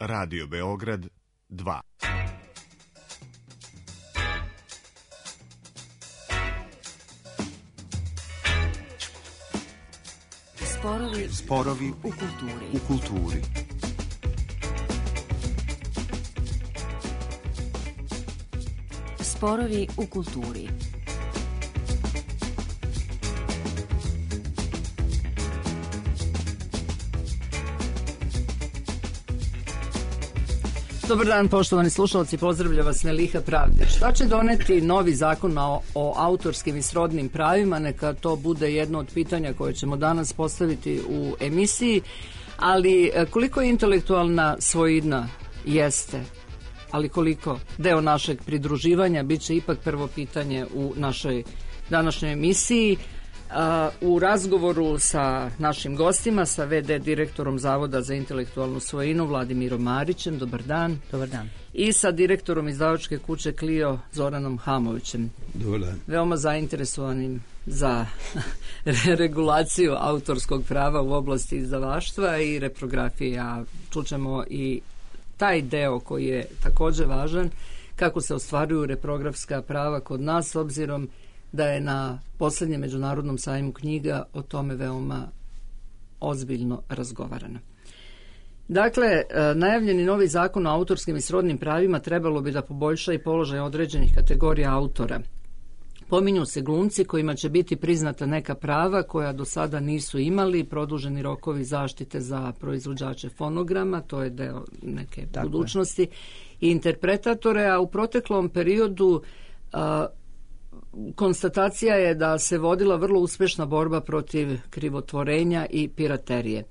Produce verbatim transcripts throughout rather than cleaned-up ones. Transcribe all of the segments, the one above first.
Radio Beograd dva. Sporovi, Sporovi u kulturi. U kulturi. Sporovi u kulturi. Dobar dan, poštovani slušalci, pozdravlja vas Neliha Pravde. Šta će doneti novi zakon o, o autorskim i srodnim pravima? Neka to bude jedno od pitanja koje ćemo danas postaviti u emisiji, ali koliko je intelektualna svojina jeste, ali koliko deo našeg pridruživanja, bit će ipak prvo pitanje u našoj današnjoj emisiji. U razgovoru sa našim gostima, sa ve de direktorom Zavoda za intelektualnu svojinu Vladimirom Marićem, dobar dan. Dobar dan. I sa direktorom izdavačke kuće Clio Zoranom Hamovićem. Dobar dan. Veoma zainteresovanim za regulaciju autorskog prava u oblasti izdavaštva i reprografije, a čućemo i taj deo koji je također važan, kako se ostvaruju reprografska prava kod nas, s obzirom da je na posljednjem međunarodnom sajmu knjiga o tome veoma ozbiljno razgovarano. Dakle, najavljeni novi zakon o autorskim i srodnim pravima trebalo bi da poboljša i položaj određenih kategorija autora. Pominju se glumci kojima će biti priznata neka prava koja do sada nisu imali, produženi rokovi zaštite za proizvođače fonograma, to je deo neke Tako budućnosti, je. I interpretatore, a u proteklom periodu a, konstatacija je da se vodila vrlo uspješna borba protiv krivotvorenja i piraterije.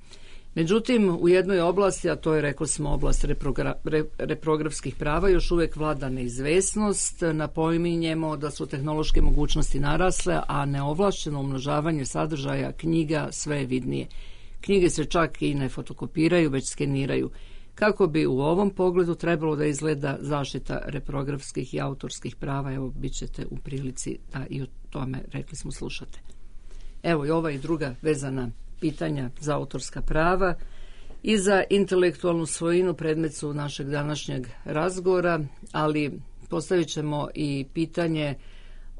Međutim, u jednoj oblasti, a to je, rekli smo, oblast reprogra, re, reprografskih prava, još uvijek vlada neizvesnost. Napominjemo da su tehnološke mogućnosti narasle, a neovlašćeno umnožavanje sadržaja knjiga sve je vidnije. Knjige se čak i ne fotokopiraju, već skeniraju. Kako bi u ovom pogledu trebalo da izgleda zaštita reprografskih i autorskih prava, evo, bit ćete u prilici da i o tome, rekli smo, slušate. Evo i ova i druga vezana pitanja za autorska prava i za intelektualnu svojinu predmet su našeg današnjeg razgovora, ali postavit ćemo i pitanje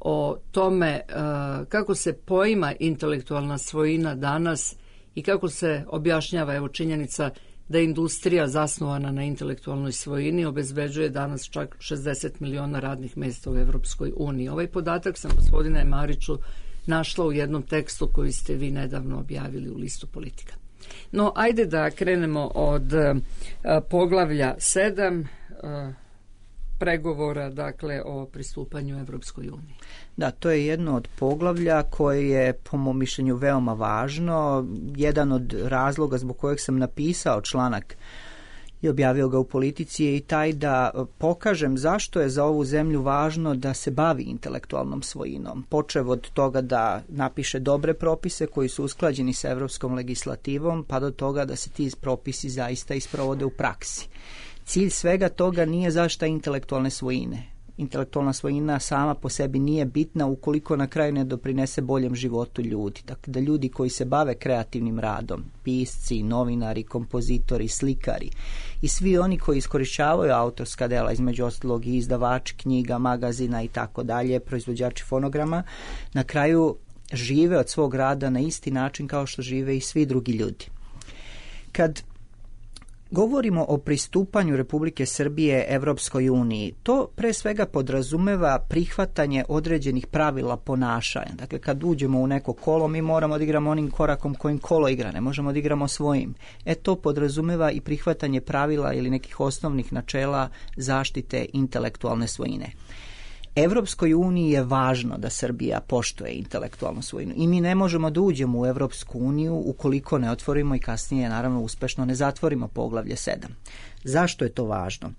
o tome uh, kako se poima intelektualna svojina danas i kako se objašnjava, evo, činjenica da industrija zasnovana na intelektualnoj svojini obezbeđuje danas čak šezdeset miliona radnih mjesta u Evropskoj uniji. Ovaj podatak sam, gospodine Mariću, našla u jednom tekstu koji ste vi nedavno objavili u listu Politika. No, ajde da krenemo od uh, poglavlja sedam uh, pregovora, dakle, o pristupanju Evropskoj uniji. Da, to je jedno od poglavlja koje je, po mom mišljenju, veoma važno. Jedan od razloga zbog kojeg sam napisao članak i objavio ga u Politici je i taj da pokažem zašto je za ovu zemlju važno da se bavi intelektualnom svojinom. Počev od toga da napiše dobre propise koji su usklađeni sa evropskom legislativom, pa do toga da se ti propisi zaista isprovode u praksi. Cilj svega toga nije zaštita intelektualne svojine. Intelektualna svojina sama po sebi nije bitna ukoliko na kraju ne doprinese boljem životu ljudi. Dakle, da ljudi koji se bave kreativnim radom, pisci, novinari, kompozitori, slikari i svi oni koji iskorišćavaju autorska dela, između ostalog i izdavači knjiga, magazina i tako dalje, proizvođači fonograma, na kraju žive od svog rada na isti način kao što žive i svi drugi ljudi. Kad govorimo o pristupanju Republike Srbije Evropskoj uniji, to pre svega podrazumeva prihvatanje određenih pravila ponašanja. Dakle, kad uđemo u neko kolo, mi moramo da igramo onim korakom kojim kolo igra, ne možemo da igramo svojim. E to podrazumeva i prihvatanje pravila ili nekih osnovnih načela zaštite intelektualne svojine. Evropskoj uniji je važno da Srbija poštuje intelektualnu svojinu i mi ne možemo da uđemo u Evropsku uniju ukoliko ne otvorimo i kasnije naravno uspešno ne zatvorimo poglavlje sedam. Zašto je to važno?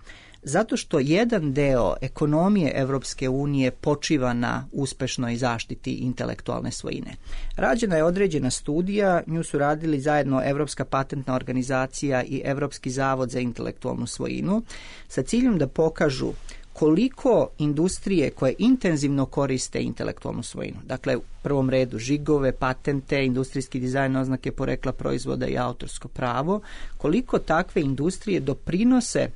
Zato što jedan deo ekonomije Evropske unije počiva na uspešnoj zaštiti intelektualne svojine. Rađena je određena studija, nju su radili zajedno Evropska patentna organizacija i Evropski zavod za intelektualnu svojinu sa ciljem da pokažu koliko industrije koje intenzivno koriste intelektualnu svojinu, dakle u prvom redu žigove, patente, industrijski dizajn, oznake porekla proizvoda i autorsko pravo, koliko takve industrije doprinose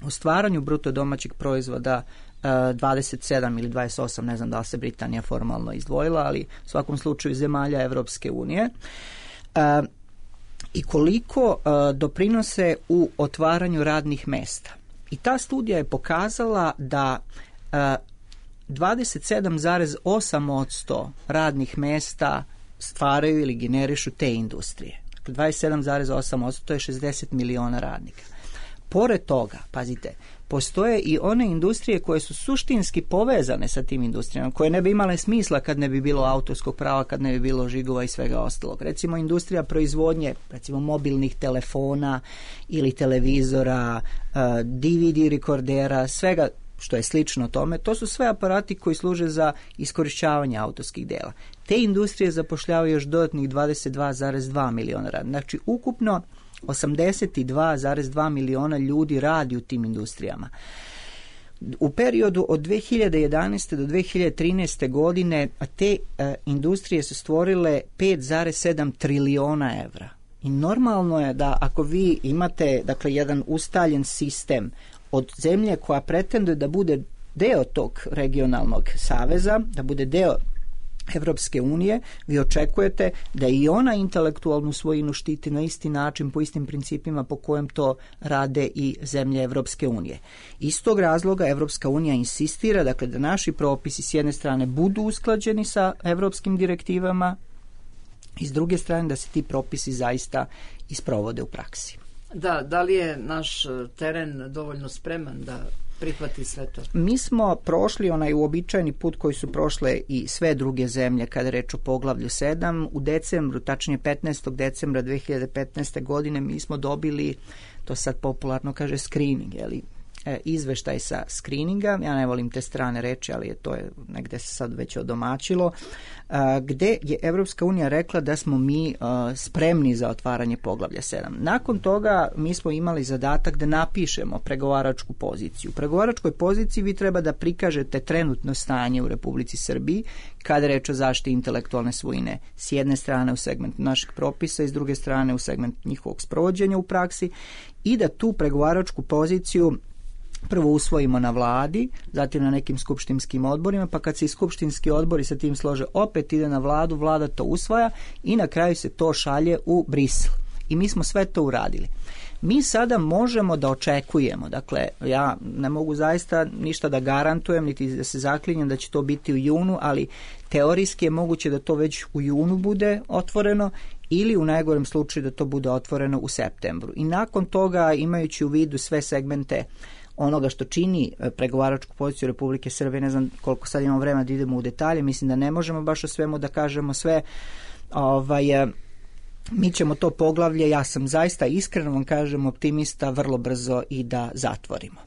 u stvaranju bruto domaćeg proizvoda dvadeset sedam ili dvadeset osam, ne znam da li se Britanija formalno izdvojila, ali u svakom slučaju zemalja Evropske unije, i koliko doprinose u otvaranju radnih mesta. I ta studija je pokazala da dvadeset sedam zarez osam posto radnih mesta stvaraju ili generišu te industrije. Dakle, dvadeset sedam zarez osam posto to je šezdeset miliona radnika. Pored toga, pazite, postoje i one industrije koje su suštinski povezane sa tim industrijama, koje ne bi imale smisla kad ne bi bilo autorskog prava, kad ne bi bilo žigova i svega ostalog. Recimo industrija proizvodnje, recimo mobilnih telefona ili televizora, D V D rekordera, svega što je slično tome, to su sve aparati koji služe za iskorišćavanje autorskih dela. Te industrije zapošljavaju još dodatnih dvadeset dva zarez dva miliona radnika. Znači, ukupno osamdeset dva zarez dva miliona ljudi radi u tim industrijama. U periodu od dve hiljade jedanaeste do dve hiljade trinaeste godine te e, industrije su stvorile pet zarez sedam triliona evra. I normalno je da ako vi imate, dakle, jedan ustaljen sistem od zemlje koja pretenduje da bude deo tog regionalnog saveza, da bude deo Evropske unije, vi očekujete da i ona intelektualnu svojinu štiti na isti način, po istim principima po kojem to rade i zemlje Evropske unije. Iz tog razloga Evropska unija insistira, dakle, da naši propisi s jedne strane budu usklađeni sa evropskim direktivama i s druge strane da se ti propisi zaista isprovode u praksi. Da, da li je naš teren dovoljno spreman da prihvati sve to? Mi smo prošli onaj uobičajeni put koji su prošle i sve druge zemlje kada je reč o poglavlju sedam. U decembru, tačnije petnaestog decembra dve hiljade petnaeste godine, mi smo dobili, to sad popularno kaže screening, jeli, izveštaj sa screeninga, ja ne volim te strane reči, ali je to je negde se sad već odomaćilo, gde je Evropska unija rekla da smo mi spremni za otvaranje poglavlja sedam. Nakon toga mi smo imali zadatak da napišemo pregovaračku poziciju. U pregovaračkoj poziciji vi treba da prikažete trenutno stanje u Republici Srbiji kada reč o zaštiti intelektualne svojine, s jedne strane u segmentu naših propisa i s druge strane u segmentu njihovog sprovođenja u praksi, i da tu pregovaračku poziciju prvo usvojimo na vladi, zatim na nekim skupštinskim odborima, pa kad se i skupštinski odbori sa tim slože, opet ide na vladu, vlada to usvaja i na kraju se to šalje u Brisel. I mi smo sve to uradili. Mi sada možemo da očekujemo, dakle, ja ne mogu zaista ništa da garantujem, niti da se zaklinjem da će to biti u junu, ali teorijski je moguće da to već u junu bude otvoreno ili u najgorem slučaju da to bude otvoreno u septembru. I nakon toga, imajući u vidu sve segmente onoga što čini pregovaračku poziciju Republike Srbije, ne znam koliko sad imamo vremena da idemo u detalje, mislim da ne možemo baš o svemu da kažemo sve, ovaj, mi ćemo to poglavlje, ja sam zaista iskreno vam kažem optimista, vrlo brzo i da zatvorimo.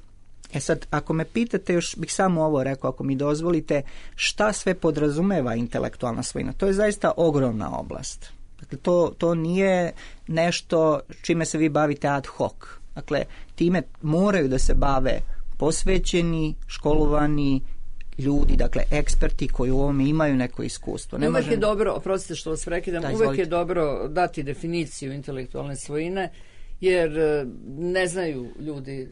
E sad, ako me pitate, još bih samo ovo rekao, ako mi dozvolite, šta sve podrazumeva intelektualna svojina, to je zaista ogromna oblast. Dakle, to, to nije nešto čime se vi bavite ad hoc. Dakle, time moraju da se bave posvećeni, školovani ljudi, dakle eksperti koji u ovome imaju neko iskustvo. Ne uvek možem... je dobro, oprostite što vas prekidam, da, uvek je dobro dati definiciju intelektualne svojine, jer ne znaju ljudi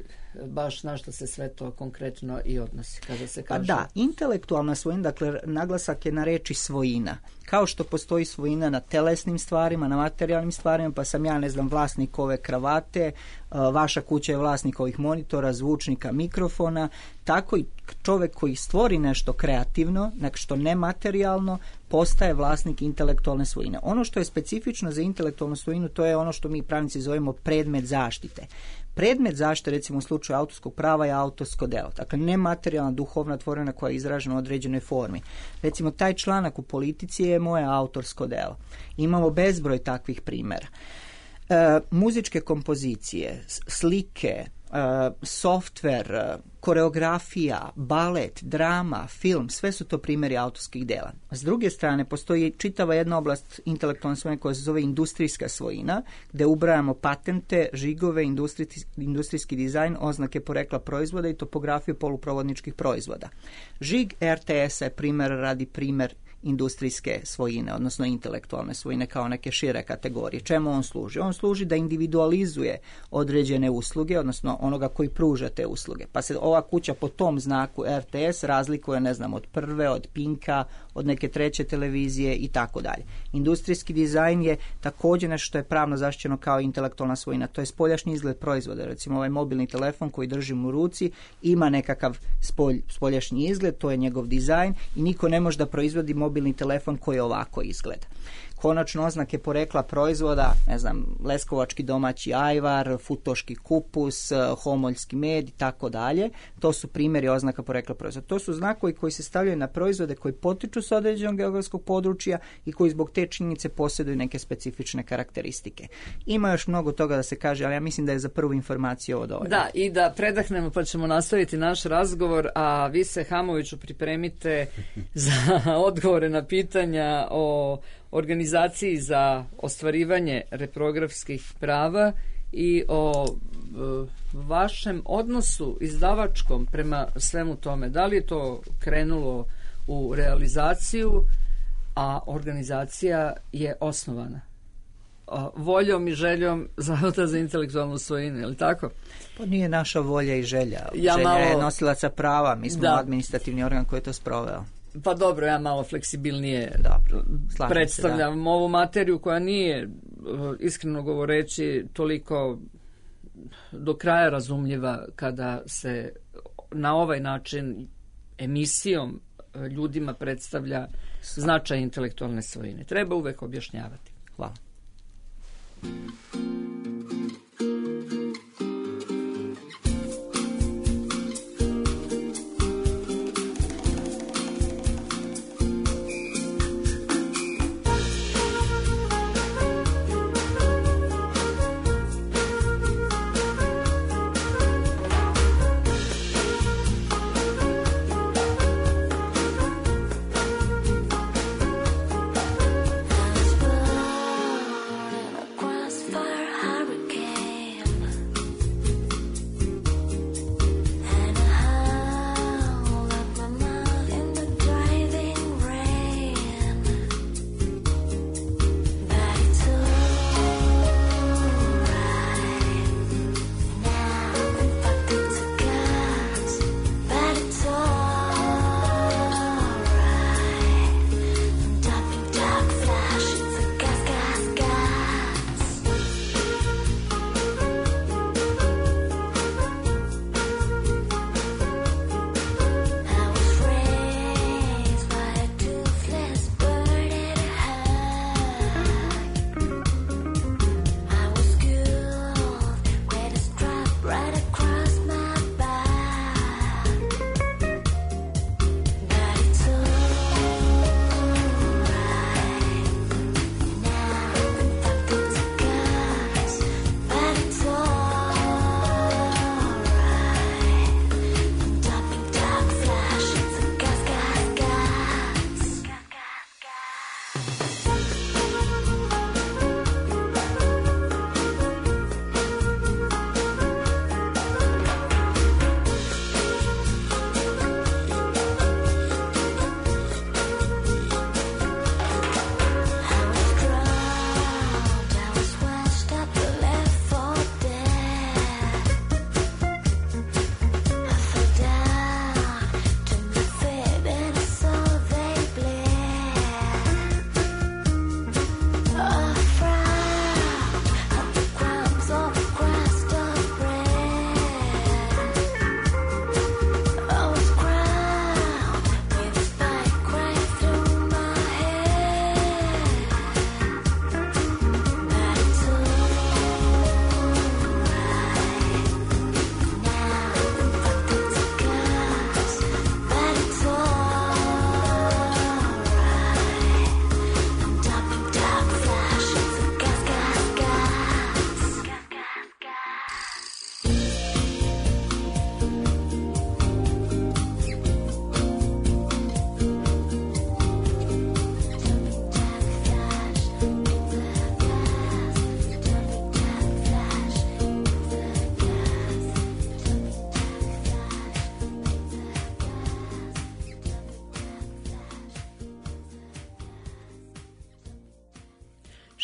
baš na što se sve to konkretno i odnosi kada se kaže. Pa da, intelektualna svojina, dakle naglasak je na reči svojina. Kao što postoji svojina na telesnim stvarima, na materijalnim stvarima, pa sam ja, ne znam, vlasnik ove kravate, vaša kuća je vlasnik ovih monitora, zvučnika, mikrofona, tako i čovek koji stvori nešto kreativno, nešto nematerijalno, postaje vlasnik intelektualne svojine. Ono što je specifično za intelektualnu svojinu, to je ono što mi pravnici zovemo predmet zaštite. Predmet zaštite, recimo u slučaju autorskog prava, je autorsko delo. Dakle, nematerijalna duhovna tvorevina koja je izražena u određenoj formi. Recimo, taj članak u Politici je moje autorsko delo. Imamo bezbroj takvih primjera. E, muzičke kompozicije, slike, softver, koreografija, balet, drama, film, sve su to primjeri autorskih dela. S druge strane, postoji čitava jedna oblast intelektualne svojine koja se zove industrijska svojina, gde ubrajamo patente, žigove, industrijski, industrijski dizajn, oznake porekla proizvoda i topografiju poluprovodničkih proizvoda. Žig R T S-a je primjer radi primjer industrijske svojine, odnosno intelektualne svojine kao neke šire kategorije. Čemu on služi? On služi da individualizuje određene usluge, odnosno onoga koji pruža te usluge. Pa se ova kuća po tom znaku R T S razlikuje, ne znam, od prve, od Pinka, od neke treće televizije i tako dalje. Industrijski dizajn je također nešto što je pravno zaštićeno kao intelektualna svojina. To je spoljašnji izgled proizvoda. Recimo ovaj mobilni telefon koji držim u ruci ima nekakav spolj, spoljašnji izgled, to je njegov dizajn i niko ne može da proizvodi mobilni telefon koji ovako izgleda. Konačno oznake porekla proizvoda, ne znam, leskovački domaći ajvar, futoški kupus, homoljski med i tako dalje. To su primjeri oznaka porekla proizvoda. To su znakovi koji se stavljaju na proizvode koji potiču s određenog geografskog područja i koji zbog te činjenice posjeduju neke specifične karakteristike. Ima još mnogo toga da se kaže, ali ja mislim da je za prvu informaciju ovo dovoljno. Da, i da predahnemo pa ćemo nastaviti naš razgovor, a vi se, Hamoviću, pripremite za odgovore na pitanja o organizaciji za ostvarivanje reprografskih prava i o e, vašem odnosu izdavačkom prema svemu tome. Da li je to krenulo u realizaciju, a organizacija je osnovana a, voljom i željom Zavoda za intelektualnu svojinu, je li tako? Pa nije naša volja i želja. Ja želja malo... je nosilaca prava. Mi smo da. administrativni organ koji je to sproveo. Pa dobro, ja malo fleksibilnije dobro, predstavljam se, da. ovu materiju koja nije, iskreno govoreći, toliko do kraja razumljiva kada se na ovaj način emisijom ljudima predstavlja značaj intelektualne svojine. Treba uvek objašnjavati. Hvala. Fire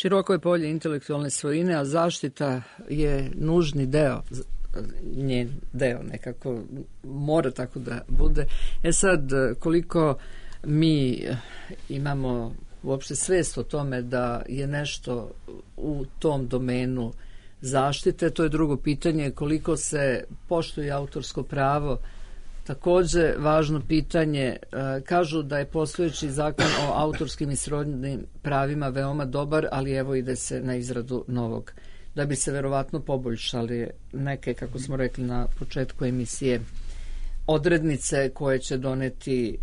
Široko je polje intelektualne svojine, a zaštita je nužni deo, njen deo nekako mora tako da bude. E sad, koliko mi imamo uopšte svest o tome da je nešto u tom domenu zaštite, to je drugo pitanje. Koliko se poštuje autorsko pravo, takođe važno pitanje. Kažu da je postojeći zakon o autorskim i srodnim pravima veoma dobar, ali evo ide se na izradu novog, da bi se verovatno poboljšali neke, kako smo rekli na početku emisije, odrednice koje će doneti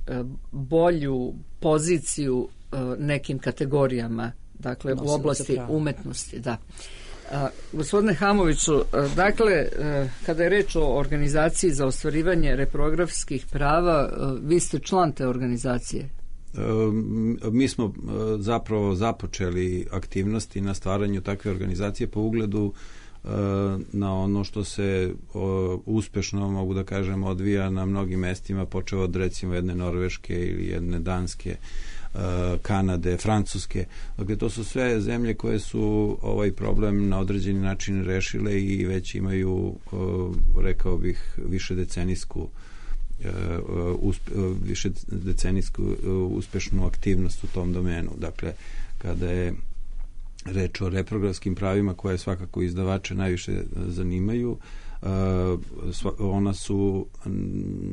bolju poziciju nekim kategorijama, dakle u oblasti umetnosti. Da. A, gospodine Hamoviću, dakle, kada je reč o organizaciji za ostvarivanje reprografskih prava, vi ste član te organizacije. Mi smo zapravo započeli aktivnosti na stvaranju takve organizacije po ugledu na ono što se uspešno, mogu da kažem, odvija na mnogim mestima, počeo od recimo jedne Norveške ili jedne Danske, Kanade, Francuske. Dakle, to su sve zemlje koje su ovaj problem na određeni način rešile i već imaju, rekao bih, više decenijsku uspe, više decenijsku uspešnu aktivnost u tom domenu. Dakle, kada je reč o reprografskim pravima koje svakako izdavače najviše zanimaju, ona su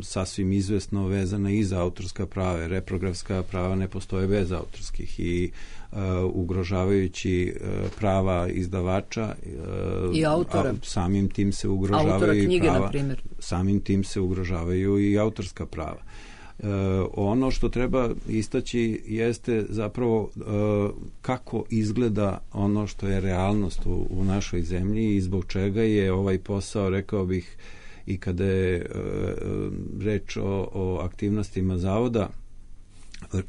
sasvim izvesno vezana i za autorska prava. Reprografska prava ne postoje bez autorskih i uh, ugrožavajući uh, prava izdavača uh, i autora. A, samim tim se ugrožavaju knjige, i prava, na primjer. Samim tim se ugrožavaju i autorska prava. Uh, ono što treba istaći jeste zapravo uh, kako izgleda ono što je realnost u, u našoj zemlji i zbog čega je ovaj posao, rekao bih, i kada je uh, reč o, o aktivnostima zavoda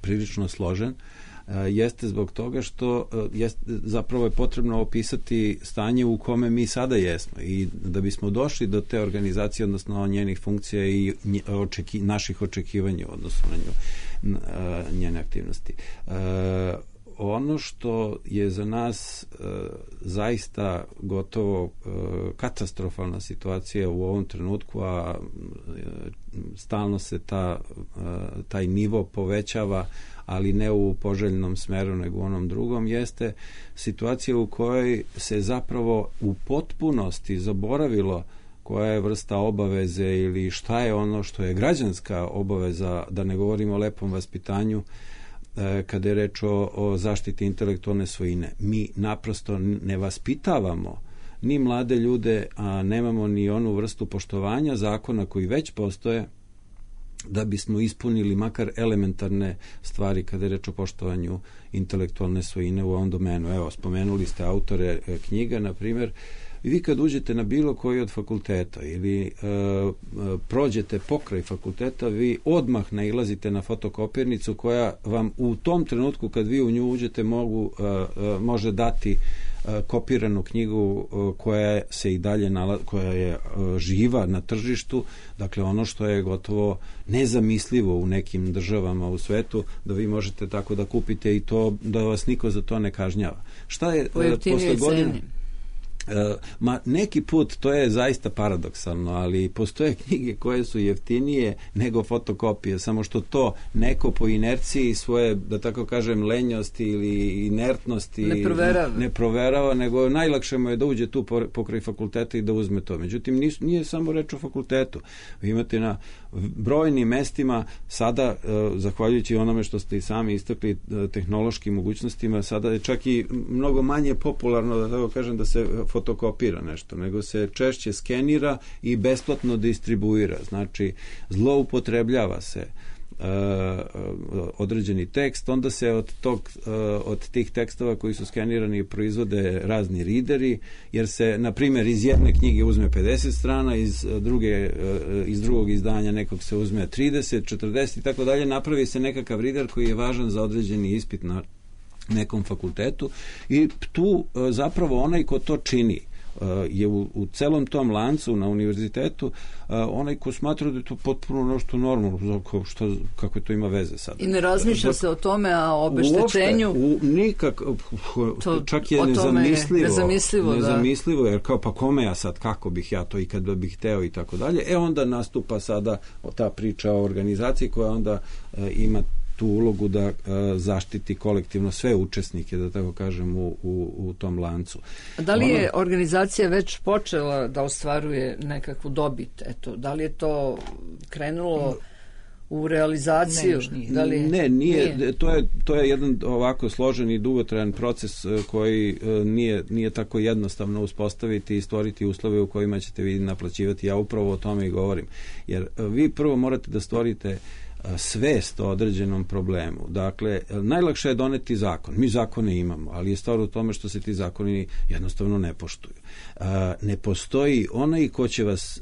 prilično složen, uh, jeste zbog toga što uh, jest, zapravo je potrebno opisati stanje u kome mi sada jesmo i da bismo došli do te organizacije, odnosno njenih funkcija i nje, očeki, naših očekivanja odnosno na nju, uh, njene aktivnosti. Uh, ono što je za nas uh, zaista gotovo uh, katastrofalna situacija u ovom trenutku, a uh, stalno se ta, uh, taj nivo povećava, ali ne u poželjnom smeru nego u onom drugom, jeste situacija u kojoj se zapravo u potpunosti zaboravilo koja je vrsta obaveze ili šta je ono što je građanska obaveza, da ne govorimo o lepom vaspitanju, kada je reč o, o zaštiti intelektualne svojine. Mi naprosto ne vaspitavamo ni mlade ljude, a nemamo ni onu vrstu poštovanja zakona koji već postoje da bismo ispunili makar elementarne stvari kada je reč o poštovanju intelektualne svojine u ovom domenu. Evo, spomenuli ste autore knjiga, na primjer, i vi kad uđete na bilo koji od fakulteta ili e, prođete pokraj fakulteta, vi odmah nailazite na fotokopirnicu koja vam u tom trenutku kad vi u nju uđete mogu, e, e, može dati e, kopiranu knjigu e, koja se i dalje nalazi, koja je e, živa na tržištu, dakle ono što je gotovo nezamislivo u nekim državama u svetu, da vi možete tako da kupite i to da vas niko za to ne kažnjava. Šta je e, posle godina? Uh, ma neki put to je zaista paradoksalno, ali postoje knjige koje su jeftinije nego fotokopije, samo što to neko po inerciji svoje, da tako kažem, lenjosti ili inertnosti ne proverava, ne proverava nego najlakše mu je da uđe tu pokraj fakulteta i da uzme to. Međutim, nis, nije samo reč o fakultetu. Vi imate na brojnim mestima sada, uh, zahvaljujući onome što ste i sami istakli, uh, tehnološkim mogućnostima, sada je čak i mnogo manje popularno, da tako kažem, da se fotokopira nešto, nego se češće skenira i besplatno distribuira. Znači, zloupotrebljava se uh, određeni tekst, onda se od, tog, uh, od tih tekstova koji su skenirani proizvode razni rideri, jer se, na primjer, iz jedne knjige uzme pedeset strana, iz, druge, uh, iz drugog izdanja nekog se uzme trideset, četrdeset i tako dalje, napravi se nekakav rider koji je važan za određeni ispit na nekom fakultetu i tu zapravo onaj ko to čini, je u, u celom tom lancu na univerzitetu onaj ko smatra da je to potpuno nešto normalno, što, kako to ima veze sad. I ne razmišlja se o tome, a o obeštećenju? Uopšte, u, nikak, to, čak je nezamislivo. Nezamislivo, nezamislivo da. Jer kao pa kome ja sad, kako bih ja to i kad bih hteo i tako dalje. E onda nastupa sada ta priča o organizaciji koja onda e, ima tu ulogu da e, zaštiti kolektivno sve učesnike, da tako kažem, u, u, u tom lancu. A da li je ono, organizacija već počela da ostvaruje nekakvu dobit? Eto, da li je to krenulo u realizaciju? Ne, da li, ne nije, nije. To, je, to je jedan ovako složen i dugotrajan proces koji nije, nije tako jednostavno uspostaviti i stvoriti uslove u kojima ćete vi naplaćivati. Ja upravo o tome i govorim. Jer vi prvo morate da stvorite svest o određenom problemu. Dakle, najlakše je doneti zakon. Mi zakone imamo, ali je stvar u tome što se ti zakoni jednostavno ne poštuju. Ne postoji onaj ko će vas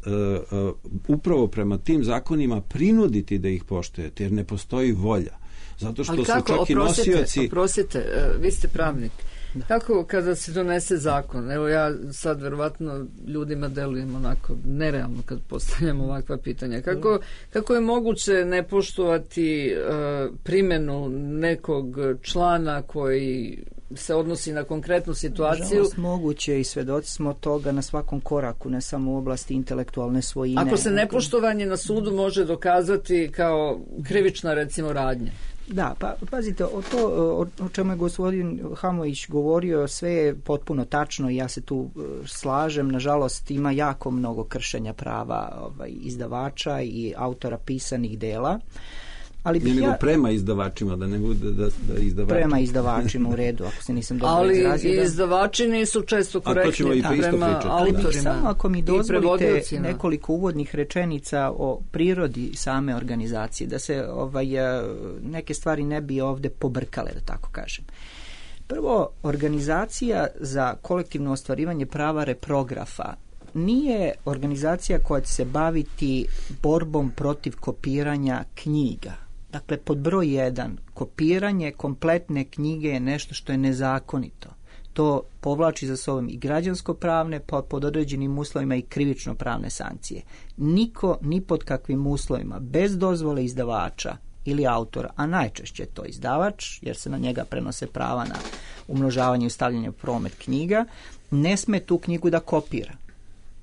upravo prema tim zakonima prinuditi da ih poštujete, jer ne postoji volja. Zato što ali su kako, čak oprostite, i nosioci... Oprostite, vi ste pravnik. Da. Kako kada se donese zakon? Evo ja sad verovatno ljudima delujem onako nerealno kad postavljam ovakva pitanja. Kako, kako je moguće ne poštovati uh, primjenu nekog člana koji se odnosi na konkretnu situaciju? Nažalost, moguće i svedoci smo toga na svakom koraku, ne samo u oblasti intelektualne svojine. Ako se nepoštovanje na sudu može dokazati kao krivična, recimo, radnja. Da, pa pazite, o to o, o čemu je gospodin Hamović govorio, sve je potpuno tačno i ja se tu uh, slažem. Nažalost, ima jako mnogo kršenja prava ovaj, izdavača i autora pisanih dela. Ali ne nego ja, prema izdavačima, da ne bude da, da izdavači. Prema izdavačima u redu, ako se nisam dobro ali izrazio. Ali izdavači nisu često korektni prema autorima. Samo ako mi dozvolite nekoliko uvodnih rečenica o prirodi same organizacije, da se ovaj, neke stvari ne bi ovde pobrkale, da tako kažem. Prvo, organizacija za kolektivno ostvarivanje prava reprografa nije organizacija koja će se baviti borbom protiv kopiranja knjiga. Dakle, pod broj jedan, kopiranje kompletne knjige je nešto što je nezakonito. To povlači za sobom i građansko-pravne, pod određenim uslovima i krivično-pravne sankcije. Niko, ni pod kakvim uslovima, bez dozvole izdavača ili autora, a najčešće je to izdavač, jer se na njega prenose prava na umnožavanje i stavljanje u promet knjiga, ne sme tu knjigu da kopira.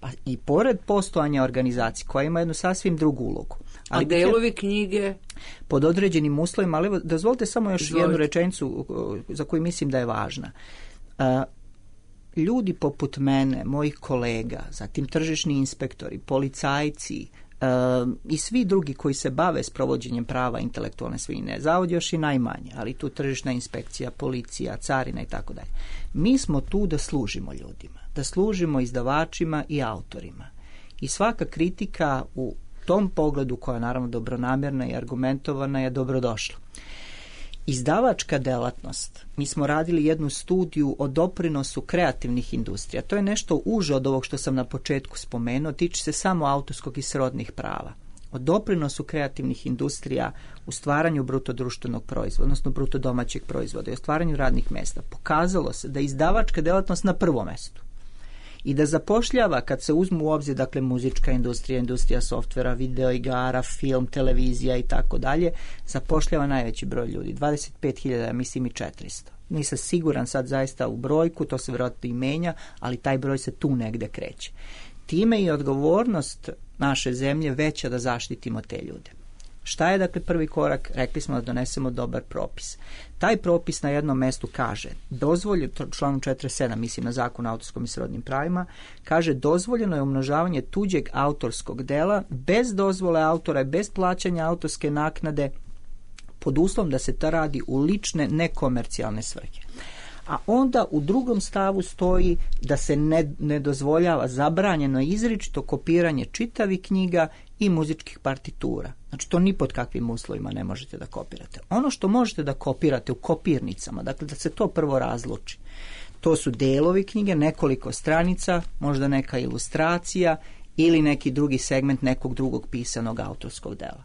Pa i pored postojanja organizacije koja ima jednu sasvim drugu ulogu. Ali a delovi knjige? Pod određenim uslovima, ali evo, dozvolite samo još Izvolite. jednu rečenicu za koju mislim da je važna. Uh, ljudi poput mene, mojih kolega, zatim tržišni inspektori, policajci uh, i svi drugi koji se bave s provođenjem prava intelektualne svojine, zavod još i najmanje, ali tu tržišna inspekcija, policija, carina i tako dalje. Mi smo tu da služimo ljudima, da služimo izdavačima i autorima. I svaka kritika u tom pogledu, koja je naravno dobronamjerna i argumentovana, je dobrodošla. Izdavačka delatnost, mi smo radili jednu studiju o doprinosu kreativnih industrija. To je nešto uže od ovog što sam na početku spomenuo, tiče se samo autorskog i srodnih prava. O doprinosu kreativnih industrija u stvaranju bruto društvenog proizvoda, odnosno bruto domaćeg proizvoda i o stvaranju radnih mesta. Pokazalo se da je izdavačka delatnost na prvom mestu. I da zapošljava, kad se uzmu u obzir, dakle, muzička industrija, industrija softvera, video igara, film, televizija i tako dalje, zapošljava najveći broj ljudi, dvadeset pet hiljada, mislim i četiristo. Nisam siguran sad zaista u brojku, to se vjerojatno i menja, ali taj broj se tu negde kreće. Time i odgovornost naše zemlje veća da zaštitimo te ljude. Šta je, dakle, prvi korak? Rekli smo da donesemo dobar propis. Taj propis na jednom mestu kaže, dozvoljeno, članom četrdeset sedam, mislim na zakon o autorskom i srodnim pravima, kaže dozvoljeno je umnožavanje tuđeg autorskog dela bez dozvole autora i bez plaćanja autorske naknade pod uslovom da se to radi u lične nekomercijalne svrhe. A onda u drugom stavu stoji da se ne, ne dozvoljava, zabranjeno izričito kopiranje čitavih knjiga i muzičkih partitura. Znači, to ni pod kakvim uslovima ne možete da kopirate. Ono što možete da kopirate u kopirnicama, dakle da se to prvo razluči, to su delovi knjige, nekoliko stranica, možda neka ilustracija ili neki drugi segment nekog drugog pisanog autorskog dela.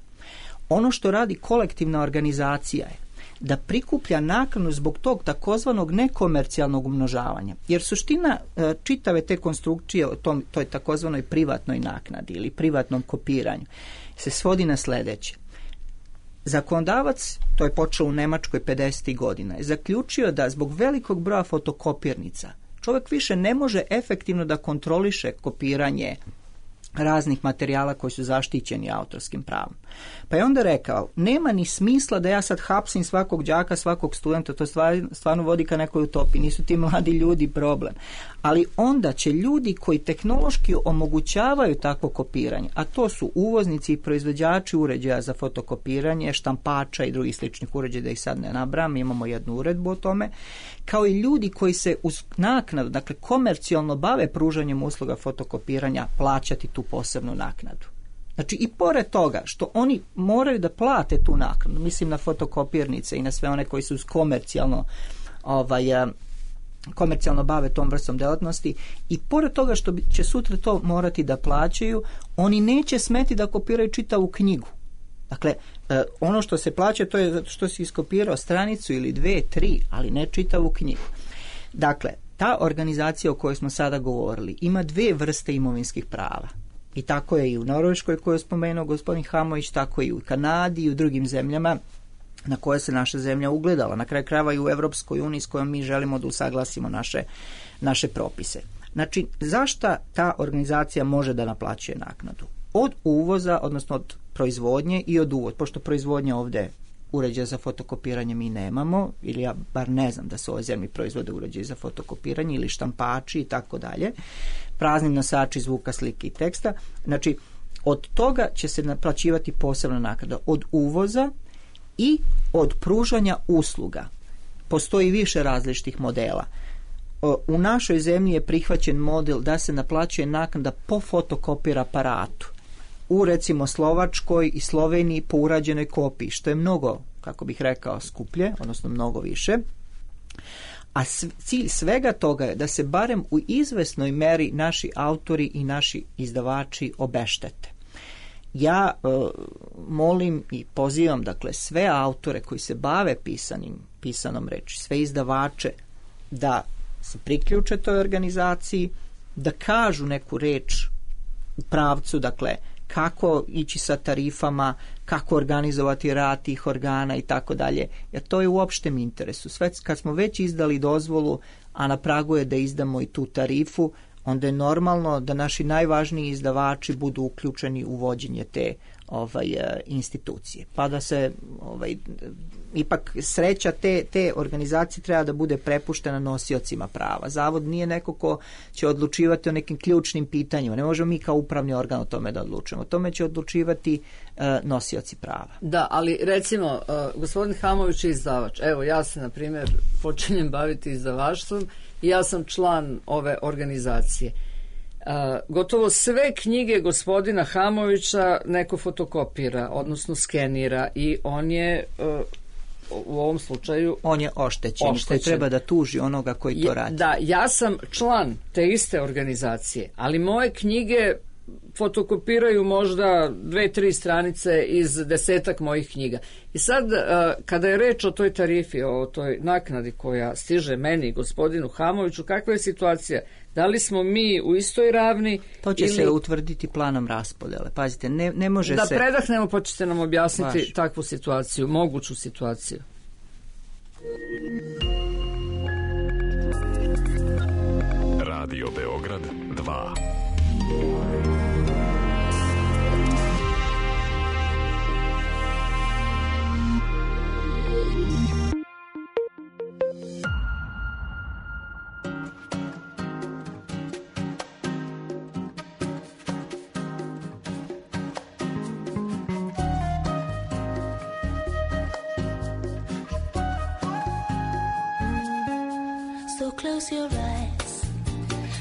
Ono što radi kolektivna organizacija je da prikuplja naknadu zbog tog takozvanog nekomercijalnog umnožavanja. Jer suština e, čitave te konstrukcije o tom, toj takozvanoj privatnoj naknadi ili privatnom kopiranju se svodi na sledeće. Zakonodavac, to je počelo u Nemačkoj pedesetih godina, je zaključio da zbog velikog broja fotokopirnica čovjek više ne može efektivno da kontroliše kopiranje raznih materijala koji su zaštićeni autorskim pravom. Pa je onda rekao, nema ni smisla da ja sad hapsim svakog đaka, svakog studenta, to stvarno, stvarno vodi ka nekoj utopiji, nisu ti mladi ljudi problem. Ali onda će ljudi koji tehnološki omogućavaju takvo kopiranje, a to su uvoznici i proizvođači uređaja za fotokopiranje, štampača i drugih sličnih uređaja, da ih sad ne nabrajam, imamo jednu uredbu o tome, kao i ljudi koji se uz naknadu, dakle komercijalno bave pružanjem usluga fotokopiranja, plaćati tu posebnu naknadu. Znači i pored toga što oni moraju da plate tu naknadu, mislim na fotokopirnice i na sve one koji su komercijalno ovaj, komercijalno bave tom vrstom delatnosti, i pored toga što će sutra to morati da plaćaju, oni neće smeti da kopiraju čitavu knjigu. Dakle, ono što se plaća to je zato što si iskopirao stranicu ili dve, tri, ali ne čitavu knjigu. Dakle, ta organizacija o kojoj smo sada govorili ima dve vrste imovinskih prava. I tako je i u Norveškoj koju je spomenuo gospodin Hamović, tako i u Kanadi i u drugim zemljama na koje se naša zemlja ugledala. Na kraju krajeva i u Evropskoj uniji s kojom mi želimo da usaglasimo naše, naše propise. Znači, zašta ta organizacija može da naplaćuje naknadu? Od uvoza, odnosno od proizvodnje i od uvoza, pošto proizvodnja ovde uređaja za fotokopiranje mi nemamo, ili ja bar ne znam da se u ovoj zemlji proizvode uređaji za fotokopiranje ili štampači i tako dalje, prazni nosači zvuka, slike i teksta. Znači, od toga će se naplaćivati posebna naknada. Od uvoza i od pružanja usluga. Postoji više različitih modela. U našoj zemlji je prihvaćen model da se naplaćuje naknada po fotokopir aparatu. U recimo Slovačkoj i Sloveniji po urađenoj kopiji, što je mnogo, kako bih rekao, skuplje, odnosno mnogo više. A cilj svega toga je da se barem u izvesnoj meri naši autori i naši izdavači obeštete. Ja e, molim i pozivam, dakle, sve autore koji se bave pisanim, pisanom reči, sve izdavače, da se priključe toj organizaciji, da kažu neku reč u pravcu, dakle, kako ići sa tarifama, kako organizovati rad tih organa i tako dalje, jer to je u opštem interesu. Sve kad smo već izdali dozvolu, a na pragu je da izdamo i tu tarifu, onda je normalno da naši najvažniji izdavači budu uključeni u vođenje te ovaj, institucije. Pa da se ovaj, ipak sreća te, te organizacije treba da bude prepuštena nosiocima prava. Zavod nije neko ko će odlučivati o nekim ključnim pitanjima. Ne možemo mi kao upravni organ o tome da odlučujemo. O tome će odlučivati uh, nosioci prava. Da, ali recimo, uh, gospodin Hamović je izdavač. Evo, ja se, na primjer, počinjem baviti izdavaštvom i ja sam član ove organizacije. Uh, gotovo sve knjige gospodina Hamovića neko fotokopira, odnosno skenira, i on je uh, u ovom slučaju on je oštećen, oštećen. Koji treba da tuži onoga koji to radi. Da, ja sam član te iste organizacije, ali moje knjige fotokopiraju možda dve, tri stranice iz desetak mojih knjiga. I sad, kada je reč o toj tarifi, o toj naknadi koja stiže meni, gospodinu Hamoviću, kakva je situacija? Da li smo mi u istoj ravni? To će ili... se utvrditi planom raspodele. Pazite, ne, ne može da se... Da predahnemo, pa ćete nam objasniti Vaš. takvu situaciju, moguću situaciju. Radio Beograd dva. So close your eyes,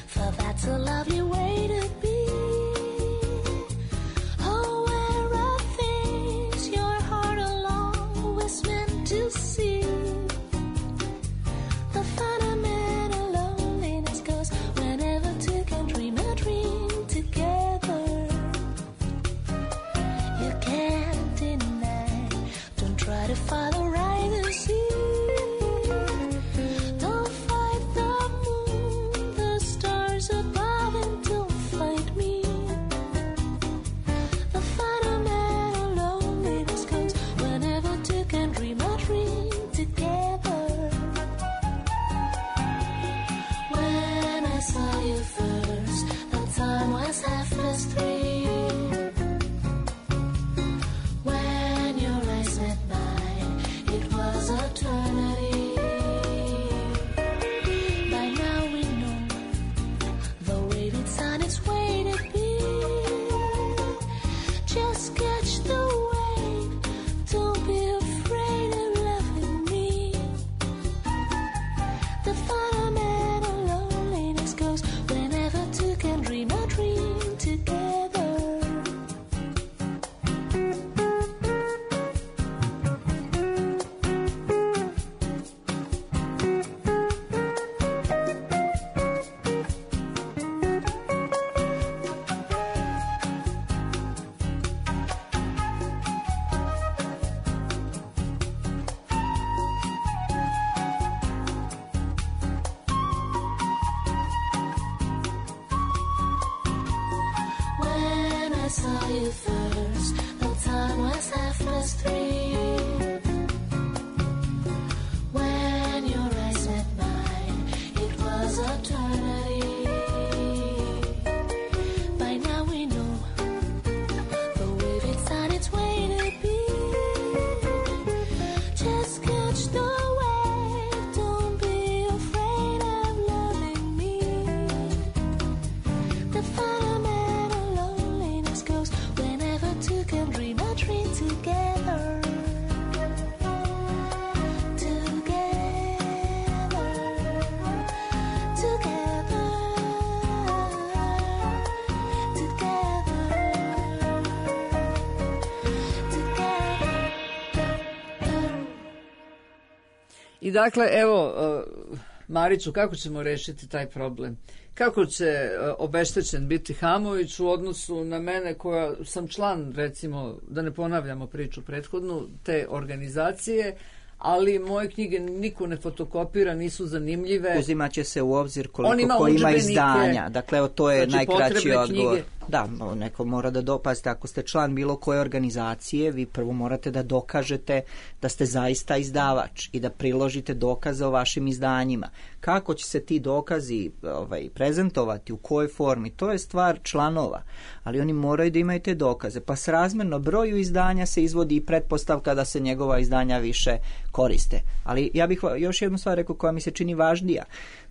for that's a lovely way to be. Oh, where are things your heart always meant to see? The fundamental loneliness goes whenever two can dream a dream together. You can't deny, don't try to follow right as you you first. The time was half past three. When your eyes met mine, it was eternity. By now we know the wave it's on its way to be. Just catch the wave, don't be afraid of loving me. The phenomenon of loneliness goes whenever two can dream a dream together. Together, together, together. I dakle, evo, uh, Mariću, kako ćemo rešiti taj problem? Kako će uh, obeštećen biti Hamović u odnosu na mene koja sam član, recimo, da ne ponavljamo priču prethodnu, te organizacije, ali moje knjige niko ne fotokopira, nisu zanimljive. Uzimat će se u obzir koliko On ima ko ima udžbenike, izdanja. Dakle, evo, to je znači, najkraći potrebne odgovor. knjige. Da, neko mora da dopazite. Ako ste član bilo koje organizacije, vi prvo morate da dokažete da ste zaista izdavač i da priložite dokaze o vašim izdanjima. Kako će se ti dokazi ovaj, prezentovati, u kojoj formi, to je stvar članova. Ali oni moraju da imaju te dokaze. Pa srazmjerno broju izdanja se izvodi i pretpostavka da se njegova izdanja više koriste. Ali ja bih još jednu stvar rekao koja mi se čini važnija.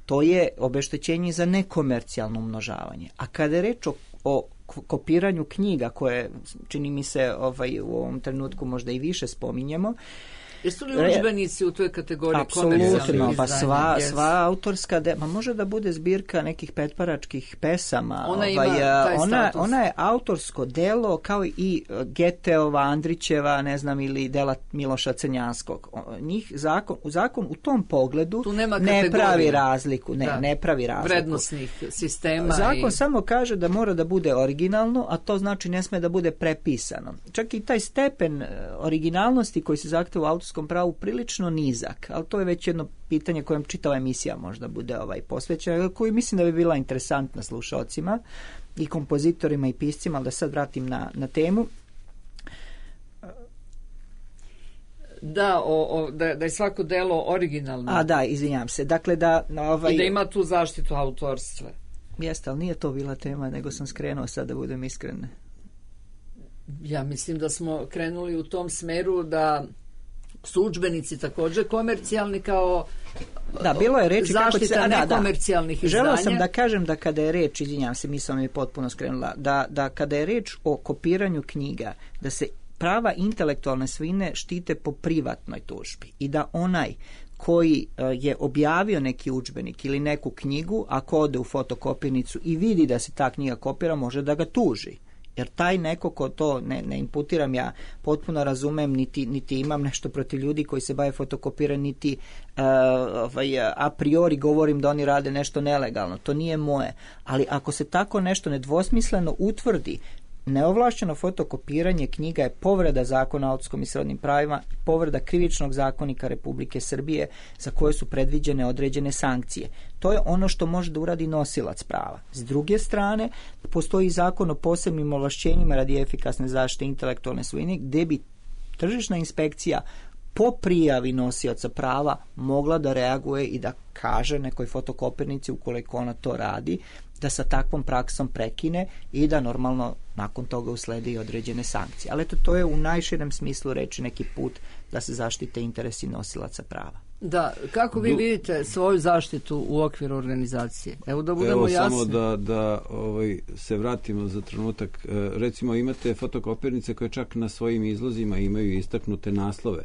To je obeštećenje za nekomercijalno umnožavanje. A kada je reč o, o kopiranju knjiga, koje čini mi se ovaj, u ovom trenutku možda i više spominjemo, Jesu li udžbenici u toj kategoriji komercijalnih apsolutno, izdanja? pa sva, Yes. sva autorska, de, ma može da bude zbirka nekih petparačkih pesama. Ona ima ovaj, taj ona, status. ona je autorsko delo kao i Geteova, Andrićeva, ne znam, ili dela Miloša Crnjanskog. O, Njih zakon, u zakon u tom pogledu Tu nema ne kategorija. pravi razliku. Ne, Da. ne pravi razliku. Vrednosnih sistema. Zakon i... samo kaže da mora da bude originalno, a to znači ne sme da bude prepisano. Čak i taj stepen e, originalnosti koji se zahteva u autorskom pravu prilično nizak, ali to je već jedno pitanje kojem čitava emisija možda bude ovaj posvećena, koju mislim da bi bila interesantna slušalcima i kompozitorima i piscima, ali da sad vratim na, na temu. Da, o, o, da, da je svako delo originalno. A da, izvinjam se. Dakle, da... Ovaj, I da ima tu zaštitu autorstva. Jeste, ali nije to bila tema, nego sam skrenuo sad da budem iskren. Ja mislim da smo krenuli u tom smeru da su udžbenici također komercijalni kao Da, bilo je reči kako će se... zaštita a, da, da. nekomercijalnih izdanja. Želeo sam da kažem da kada je reč, izvinjam se, misao mi je potpuno skrenula, da, da kada je reč o kopiranju knjiga, da se prava intelektualne svojine štite po privatnoj tužbi i da onaj koji je objavio neki udžbenik ili neku knjigu, ako ode u fotokopirnicu i vidi da se ta knjiga kopira, može da ga tuži. Jer taj neko ko to ne, ne imputiram, ja potpuno razumem, niti, niti imam nešto protiv ljudi koji se bave fotokopiranjem, niti uh, ovaj, a priori govorim da oni rade nešto nelegalno. To nije moje. Ali ako se tako nešto nedvosmisleno utvrdi, neovlašćeno fotokopiranje knjiga je povreda zakona o autorskom i srodnim pravima, povreda krivičnog zakonika Republike Srbije za koje su predviđene određene sankcije. To je ono što može da uradi nosilac prava. S druge strane, postoji zakon o posebnim ovlašćenjima radi efikasne zaštite intelektualne svojine, gdje bi tržišna inspekcija po prijavi nosioca prava mogla da reaguje i da kaže nekoj fotokopirnici, ukoliko ona to radi, da sa takvom praksom prekine i da normalno nakon toga uslede i određene sankcije. Ali eto, to je u najširem smislu reći neki put da se zaštite interesi nosilaca prava. Da, kako vi vidite svoju zaštitu u okviru organizacije? Evo da budemo Evo, jasni. samo da, da ovaj, se vratimo za trenutak. E, recimo imate fotokopirnice koje čak na svojim izlozima imaju istaknute naslove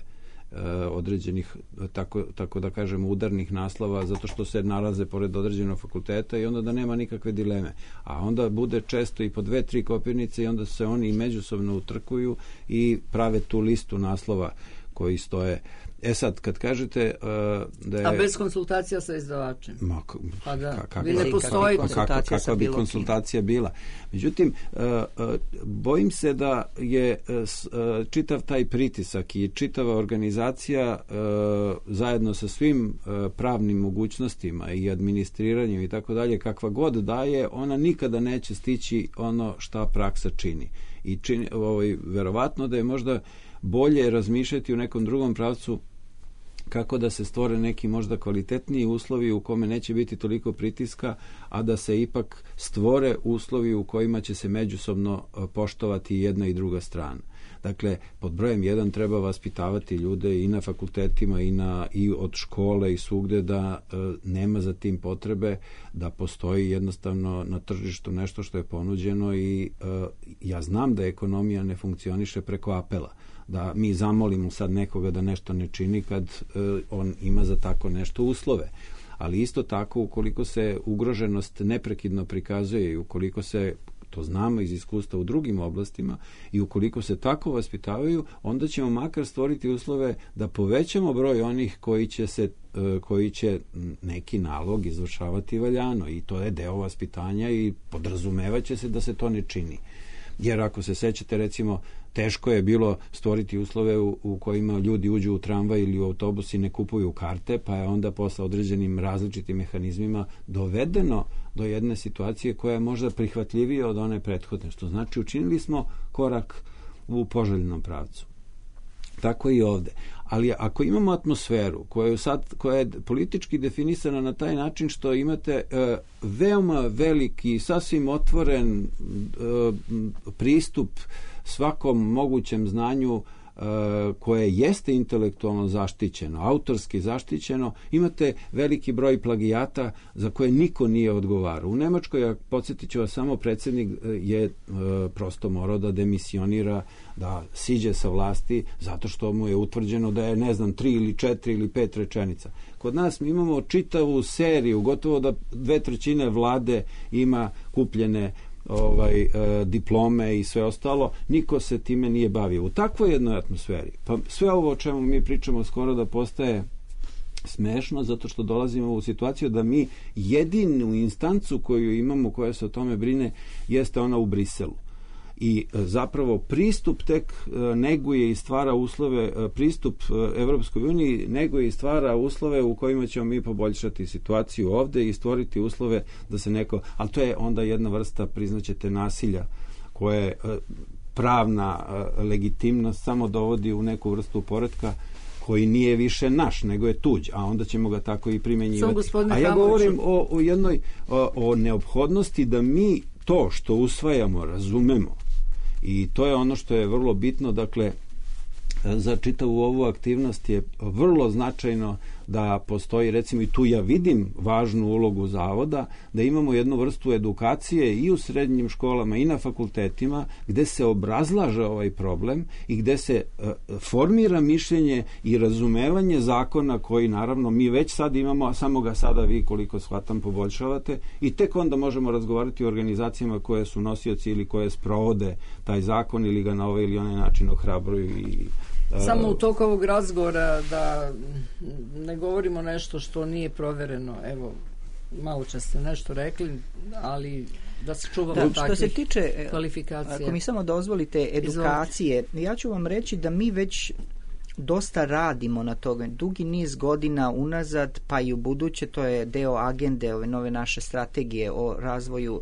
određenih, tako, tako da kažemo, udarnih naslova, zato što se nalaze pored određenog fakulteta i onda da nema nikakve dileme. A onda bude često i po dve, tri kopirnice i onda se oni međusobno utrkuju i prave tu listu naslova koji stoje. E sad, kad kažete uh, da je... A bez konsultacija sa izdavačem? Ma, pa da, kakva, vi ne postojite. Pa kakva, kakva bi konsultacija bila? Međutim, uh, uh, bojim se da je uh, čitav taj pritisak i čitava organizacija uh, zajedno sa svim uh, pravnim mogućnostima i administriranjem i tako dalje, kakva god daje, ona nikada neće stići ono šta praksa čini. I čini, ovaj, verovatno da je možda bolje razmišljati u nekom drugom pravcu kako da se stvore neki možda kvalitetniji uslovi u kome neće biti toliko pritiska, a da se ipak stvore uslovi u kojima će se međusobno poštovati jedna i druga strana. Dakle, pod brojem jedan treba vaspitavati ljude i na fakultetima i, na, i od škole i svugde da e, nema za tim potrebe, da postoji jednostavno na tržištu nešto što je ponuđeno i e, ja znam da ekonomija ne funkcioniše preko apela, da mi zamolimo sad nekoga da nešto ne čini kad e, on ima za tako nešto uslove. Ali isto tako, ukoliko se ugroženost neprekidno prikazuje i ukoliko se, to znamo iz iskustva u drugim oblastima, i ukoliko se tako vaspitavaju, onda ćemo makar stvoriti uslove da povećamo broj onih koji će se koji će neki nalog izvršavati valjano, i to je deo vaspitanja i podrazumevaće se da se to ne čini. Jer ako se sećate, recimo, teško je bilo stvoriti uslove u, u kojima ljudi uđu u tramvaj ili u autobus i ne kupuju karte, pa je onda posle određenim različitim mehanizmima dovedeno do jedne situacije koja je možda prihvatljivija od one prethodne, što znači učinili smo korak u poželjnom pravcu. Tako i ovde. Ali ako imamo atmosferu koja je, sad, koja je politički definisana na taj način što imate e, veoma veliki, sasvim otvoren e, pristup svakom mogućem znanju koje jeste intelektualno zaštićeno, autorski zaštićeno, imate veliki broj plagijata za koje niko nije odgovarao. U Nemačkoj, ja podsjetit ću vas samo, predsjednik je e, prosto morao da demisionira, da siđe sa vlasti zato što mu je utvrđeno da je, ne znam, tri ili četiri ili pet rečenica. Kod nas mi imamo čitavu seriju, gotovo da dve trećine vlade ima kupljene ovaj, e, diplome i sve ostalo, niko se time nije bavio. U takvoj jednoj atmosferi, pa sve ovo o čemu mi pričamo skoro da postaje smešno, zato što dolazimo u situaciju da mi jedinu instancu koju imamo koja se o tome brine jeste ona u Briselu. I zapravo pristup tek neguje i stvara uslove, pristup Evropskoj uniji neguje i stvara uslove u kojima ćemo mi poboljšati situaciju ovde i stvoriti uslove da se neko, ali to je onda jedna vrsta, priznaćete, nasilja koje pravna legitimnost samo dovodi u neku vrstu poretka koji nije više naš, nego je tuđ, a onda ćemo ga tako i primenjivati. A ja govorim o, o jednoj o, o neophodnosti da mi to što usvajamo razumemo. I to je ono što je vrlo bitno, dakle, za čitavu ovu aktivnost je vrlo značajno da postoji, recimo, i tu ja vidim važnu ulogu zavoda, da imamo jednu vrstu edukacije i u srednjim školama i na fakultetima gde se obrazlaže ovaj problem i gde se uh, formira mišljenje i razumevanje zakona koji, naravno, mi već sad imamo, a samo ga sada vi, koliko shvatam, poboljšavate, i tek onda možemo razgovarati o organizacijama koje su nosioci ili koje sprovode taj zakon ili ga na ovaj ili onaj način ohrabruju i samo u toku ovog razgovora da ne govorimo nešto što nije provereno. Evo, malo čas ste nešto rekli, ali da se čuvamo da, takvih što se tiče kvalifikacija. Ako mi samo dozvolite edukacije, Izvolite. Ja ću vam reći da mi već dosta radimo na toga. Dugi niz godina unazad, pa i u buduće, to je deo agende ove nove naše strategije o razvoju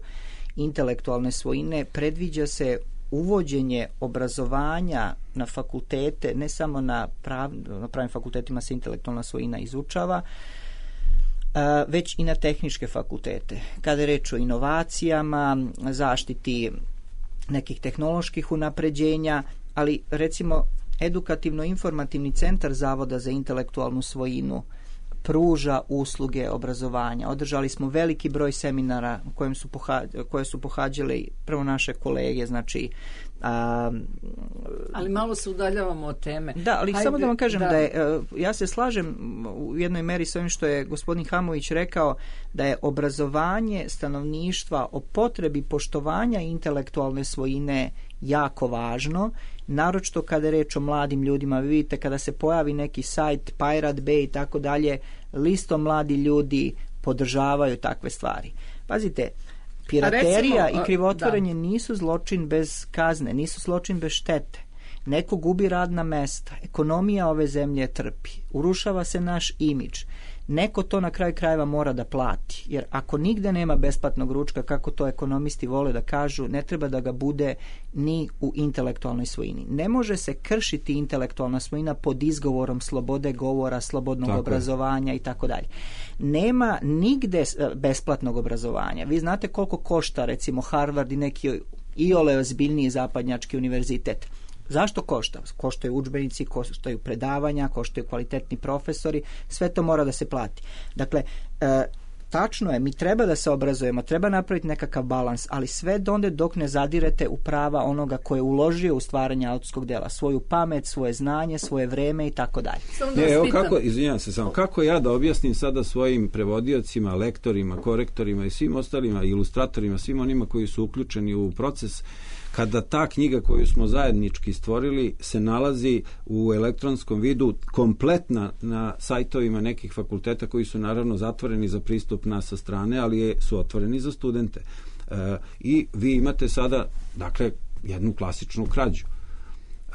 intelektualne svojine, predviđa se uvođenje obrazovanja na fakultete, ne samo na, prav, na pravim fakultetima se intelektualna svojina izučava, već i na tehničke fakultete. Kada je reč o inovacijama, zaštiti nekih tehnoloških unapređenja, ali recimo edukativno-informativni centar Zavoda za intelektualnu svojinu pruža usluge obrazovanja. Održali smo veliki broj seminara kojem su pohađali, koje su pohađale prvo naše kolege, znači a, ali malo se udaljavamo od teme. Da, ali Hajde, samo da vam kažem da, da je, ja se slažem u jednoj meri s ovim što je gospodin Hamović rekao, da je obrazovanje stanovništva o potrebi poštovanja intelektualne svojine jako važno, naročito kada je reč o mladim ljudima. Vi vidite, kada se pojavi neki sajt Pirate Bay i tako dalje, listo mladi ljudi podržavaju takve stvari. Pazite, piraterija recimo, i krivotvorenje da. nisu zločin bez kazne, nisu zločin bez štete. Neko gubi radna mesta, ekonomija ove zemlje trpi, urušava se naš imidž. neko to na kraju krajeva mora da plati. Jer ako nigde nema besplatnog ručka, kako to ekonomisti vole da kažu, ne treba da ga bude ni u intelektualnoj svojini. Ne može se kršiti intelektualna svojina pod izgovorom slobode govora, slobodnog Tako obrazovanja i tako dalje. Nema nigde besplatnog obrazovanja. Vi znate koliko košta recimo Harvard i neki iole ozbiljniji zapadnjački univerzitet. Zašto košta? Koštaju udžbenici, koštaju predavanja, koštaju kvalitetni profesori, sve to mora da se plati. Dakle, e, tačno je, mi treba da se obrazujemo, treba napraviti nekakav balans, ali sve donde dok ne zadirete u prava onoga ko je uložio u stvaranje autorskog dela, svoju pamet, svoje znanje, svoje vreme i tako dalje. Ne, evo kako, izvinjam se samo, kako ja da objasnim sada svojim prevodiocima, lektorima, korektorima i svim ostalima, ilustratorima, svim onima koji su uključeni u proces, kada ta knjiga koju smo zajednički stvorili se nalazi u elektronskom vidu kompletna na sajtovima nekih fakulteta koji su naravno zatvoreni za pristup nas sa strane, ali je, su otvoreni za studente. E, I vi imate sada, dakle, jednu klasičnu krađu. E,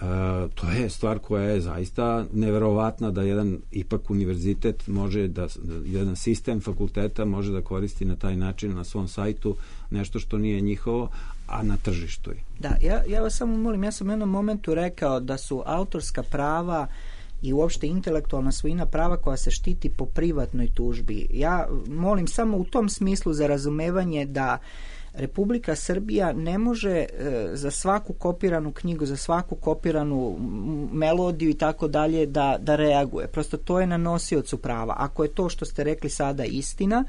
to je stvar koja je zaista neverovatna da jedan ipak univerzitet može da, jedan sistem fakulteta može da koristi na taj način na svom sajtu nešto što nije njihovo, a na tržištu je. Da, ja, ja vas samo molim, ja sam u jednom momentu rekao da su autorska prava i uopšte intelektualna svojina prava koja se štiti po privatnoj tužbi. Ja molim samo u tom smislu za razumevanje da Republika Srbija ne može e, za svaku kopiranu knjigu, za svaku kopiranu melodiju i tako dalje da, da reaguje. Prosto to je na nosiocu prava. Ako je to što ste rekli sada istina,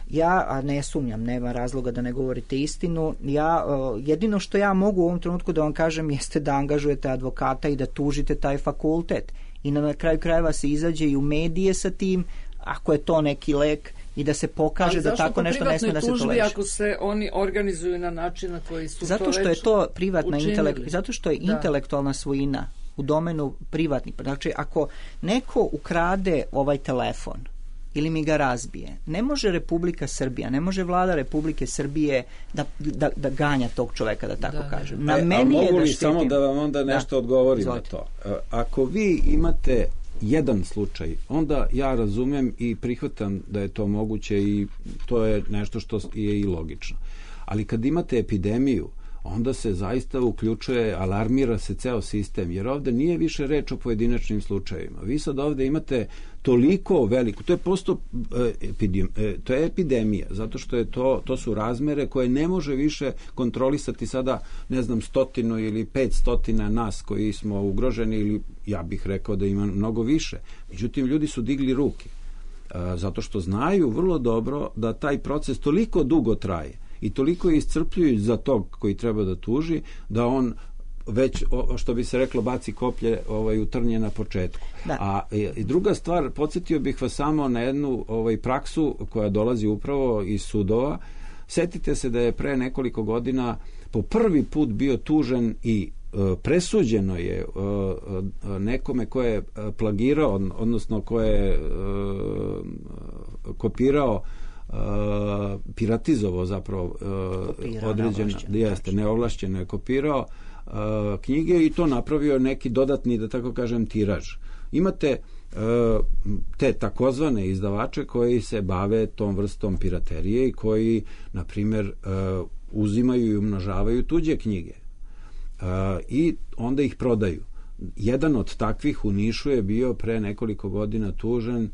ja, a ne sumnjam, nema razloga da ne govorite istinu, ja, jedino što ja mogu u ovom trenutku da vam kažem jeste da angažujete advokata i da tužite taj fakultet. I na kraju krajeva se izađe i u medije sa tim, ako je to neki lek, i da se pokaže da tako nešto ne sme da se toleriše. Ako se oni organizuju na način na koji su zato to što već je to privatna intelekt, zato što je da. intelektualna svojina u domenu privatnih. Znači, ako neko ukrade ovaj telefon ili mi ga razbije, ne može Republika Srbija, ne može vlada Republike Srbije da, da, da ganja tog čoveka, da tako da, kažem. Na a, meni a je mogu da li štitim... samo da vam onda nešto da. odgovorim Izvolite. na to? Ako vi imate jedan slučaj, onda ja razumem i prihvatam da je to moguće i to je nešto što je i logično. Ali kad imate epidemiju, onda se zaista uključuje, alarmira se ceo sistem, jer ovde nije više reč o pojedinačnim slučajevima. Vi sad ovde imate toliko veliko, to je posto, epidem, to je epidemija, zato što je to, to su razmere koje ne može više kontrolisati sada, ne znam, stotinu ili pet stotina nas koji smo ugroženi, ili ja bih rekao da ima mnogo više. Međutim, ljudi su digli ruke, zato što znaju vrlo dobro da taj proces toliko dugo traje i toliko je iscrpljujuć za tog koji treba da tuži, da on već, što bi se reklo, baci koplje ovaj, u trnje na početku. Da. A i druga stvar, podsjetio bih vas samo na jednu ovaj, praksu koja dolazi upravo iz sudova. Setite se da je pre nekoliko godina po prvi put bio tužen i presuđeno je nekome ko je plagirao, odnosno ko je kopirao, piratizovao zapravo određeno, jeste, neovlašćeno je kopirao knjige i to napravio neki dodatni, da tako kažem, tiraž. Imate te takozvane izdavače koji se bave tom vrstom piraterije i koji, na primjer, uzimaju i umnožavaju tuđe knjige i onda ih prodaju. Jedan od takvih u Nišu je bio pre nekoliko godina tužen,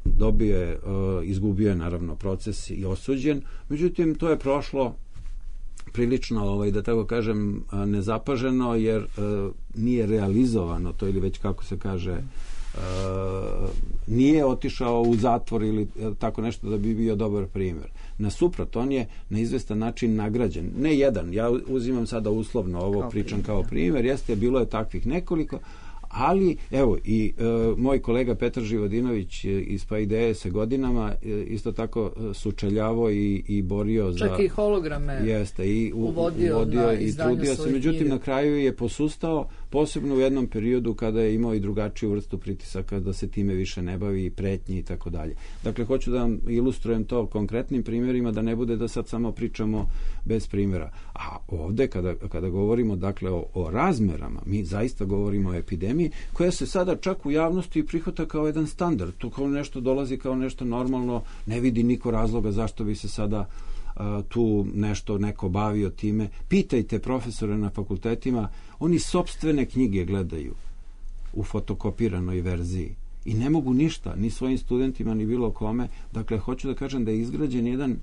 dobio je, izgubio je naravno proces i osuđen, međutim to je prošlo prilično, ovaj, da tako kažem, nezapaženo, jer uh, nije realizovano to, ili već kako se kaže, uh, nije otišao u zatvor ili tako nešto da bi bio dobar primjer. Nasuprot, on je na izvestan način nagrađen. Ne jedan, ja uzimam sada uslovno ovo, kao pričam primjer, kao primjer, jeste, bilo je takvih nekoliko, ali evo i e, moj kolega Petar Živodinović iz Paideje se godinama e, isto tako sučeljavao i, i borio za... Čak i holograme jeste, i u, uvodio, uvodio na i trudio se, međutim knjige. Na kraju je posustao, posebno u jednom periodu kada je imao i drugačiju vrstu pritisaka da se time više ne bavi, pretnji i tako dalje. Dakle, hoću da vam ilustrujem to konkretnim primjerima, da ne bude da sad samo pričamo bez primjera. A ovde, kada, kada govorimo dakle o, o razmerama, mi zaista govorimo o epidemiji koja se sada čak u javnosti prihvata kao jedan standard. To kao nešto dolazi kao nešto normalno, ne vidi niko razloga zašto bi se sada tu nešto neko bavio time. Pitajte profesore na fakultetima, oni sopstvene knjige gledaju u fotokopiranoj verziji i ne mogu ništa, ni svojim studentima, ni bilo kome. Dakle, hoću da kažem da je izgrađen jedan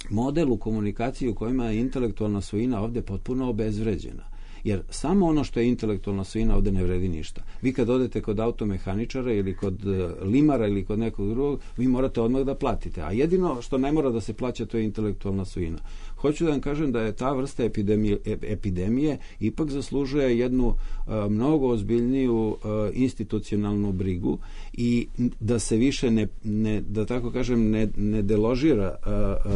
model u komunikaciji u kojima je intelektualna svojina ovde potpuno obezvređena. Jer samo ono što je intelektualna svojina ovde ne vredi ništa. Vi kad odete kod automehaničara ili kod limara ili kod nekog drugog, vi morate odmah da platite. A jedino što ne mora da se plaća, to je intelektualna svojina. Hoću da vam kažem da je ta vrsta epidemije, epidemije ipak zaslužuje jednu uh, mnogo ozbiljniju uh, institucionalnu brigu i da se više ne, ne da tako kažem, ne, ne deložira uh,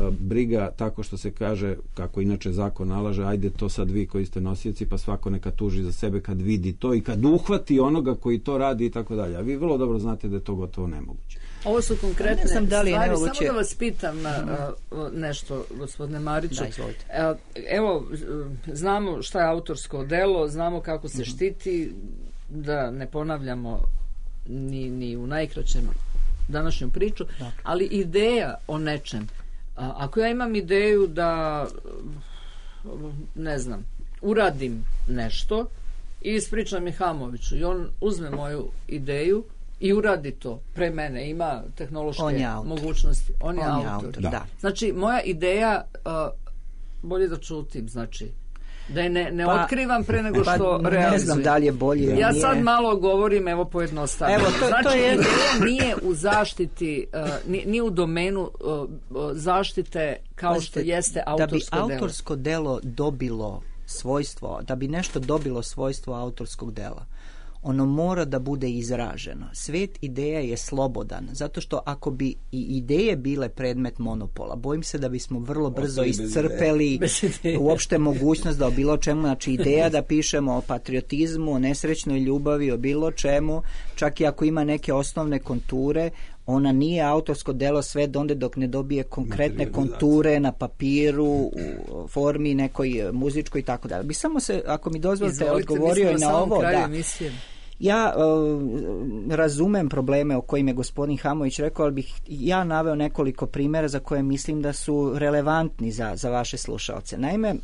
uh, briga tako što se kaže, kako inače zakon nalaže, ajde to sad vi koji ste nosioci, pa svako neka tuži za sebe kad vidi to i kad uhvati onoga koji to radi i tako dalje. A vi vrlo dobro znate da je to gotovo nemoguće. Ovo su konkretne ne znam da li je stvari. nemoguće. Samo da vas pitam uh, nešto, gospodine Mariću. Da, izvolite. Uh, evo, znamo šta je autorsko delo, znamo kako se štiti, da ne ponavljamo ni, ni u najkraćem današnju priču, da. Ali ideja o nečem. Uh, ako ja imam ideju da, ne znam, uradim nešto i ispričam Mihamoviću i on uzme moju ideju i uradi to pre mene, ima tehnološke mogućnosti. On, on je autor. autor. Da. Da. Znači, moja ideja, uh, bolje da čutim, znači, da je ne, ne pa, otkrivam pre nego što pa, realizujem. Ne znam da li je bolje. Ja nije. sad malo govorim, evo pojednostavno. Evo, to, znači, to je... ideja nije u zaštiti, uh, nije, nije u domenu uh, zaštite kao Pazite, što jeste autorsko delo. Da bi autorsko delo dobilo svojstvo, da bi nešto dobilo svojstvo autorskog dela, ono mora da bude izraženo. Svet ideja je slobodan, zato što ako bi i ideje bile predmet monopola, bojim se da bismo vrlo brzo iscrpeli uopšte mogućnost da o bilo čemu, znači ideja da pišemo o patriotizmu, o nesrećnoj ljubavi, o bilo čemu, čak i ako ima neke osnovne konture, ona nije autorsko delo sve do onda dok ne dobije konkretne konture na papiru, u formi nekoj muzičkoj i tako dalje. Bi samo se, ako mi dozvolite, Izvolite, odgovorio i na ovo. Da. Ja uh, razumem probleme o kojim je gospodin Hamović rekao, ali bih ja naveo nekoliko primjera za koje mislim da su relevantni za, za vaše slušalce. Naime,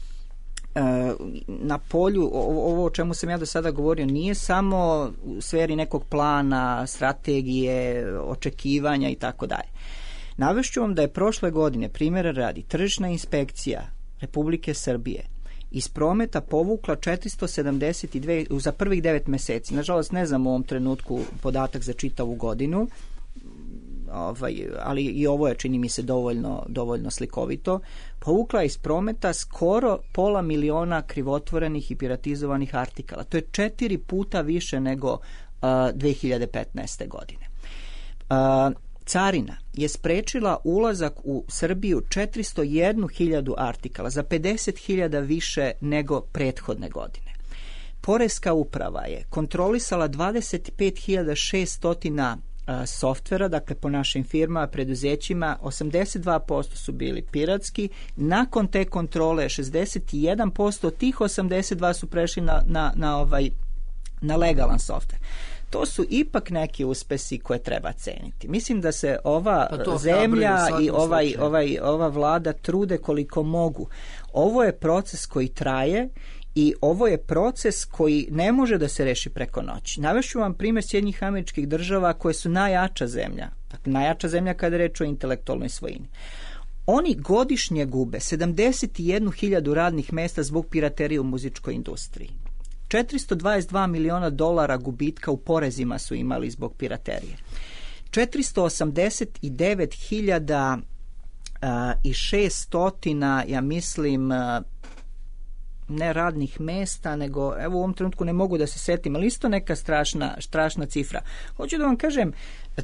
na polju, ovo o čemu sam ja do sada govorio, nije samo u sferi nekog plana, strategije, očekivanja i tako dalje. Navešću vam da je prošle godine, primjera radi, tržišna inspekcija Republike Srbije iz prometa povukla četiristo sedamdeset dve za prvih devet meseci. Nažalost, ne znam u ovom trenutku podatak za čitavu godinu, ovaj, ali i ovo je, čini mi se, dovoljno, dovoljno slikovito. Povukla iz prometa skoro pola miliona krivotvorenih i piratizovanih artikala. To je četiri puta više nego uh, dve hiljade petnaeste. godine. Uh, Carina je sprečila ulazak u Srbiju četiristo jednu hiljadu artikala, za pedeset hiljada više nego prethodne godine. Poreska uprava je kontrolisala dvadeset pet hiljada šesto softvera, dakle po našim firmama, preduzećima, osamdeset dva posto su bili piratski. Nakon te kontrole šezdeset jedan posto od tih osamdeset dva su prešli na, na, na, ovaj, na legalan softver. To su ipak neki uspesi koje treba ceniti. Mislim da se ova pa zemlja i ovaj, ovaj, ova vlada trude koliko mogu. Ovo je proces koji traje i ovo je proces koji ne može da se reši preko noći. Navešću vam primjer Sjedinjenih Američkih Država koje su najjača zemlja, dakle najjača zemlja kada je reč o intelektualnoj svojini. Oni godišnje gube sedamdeset jednu hiljadu radnih mesta zbog piraterije u muzičkoj industriji. četiristo dvadeset dva miliona dolara gubitka u porezima su imali zbog piraterije. četiristo osamdeset devet hiljada i šesto, ja mislim, ne radnih mesta, nego evo u ovom trenutku ne mogu da se setim, ali isto neka strašna, strašna cifra. Hoću da vam kažem,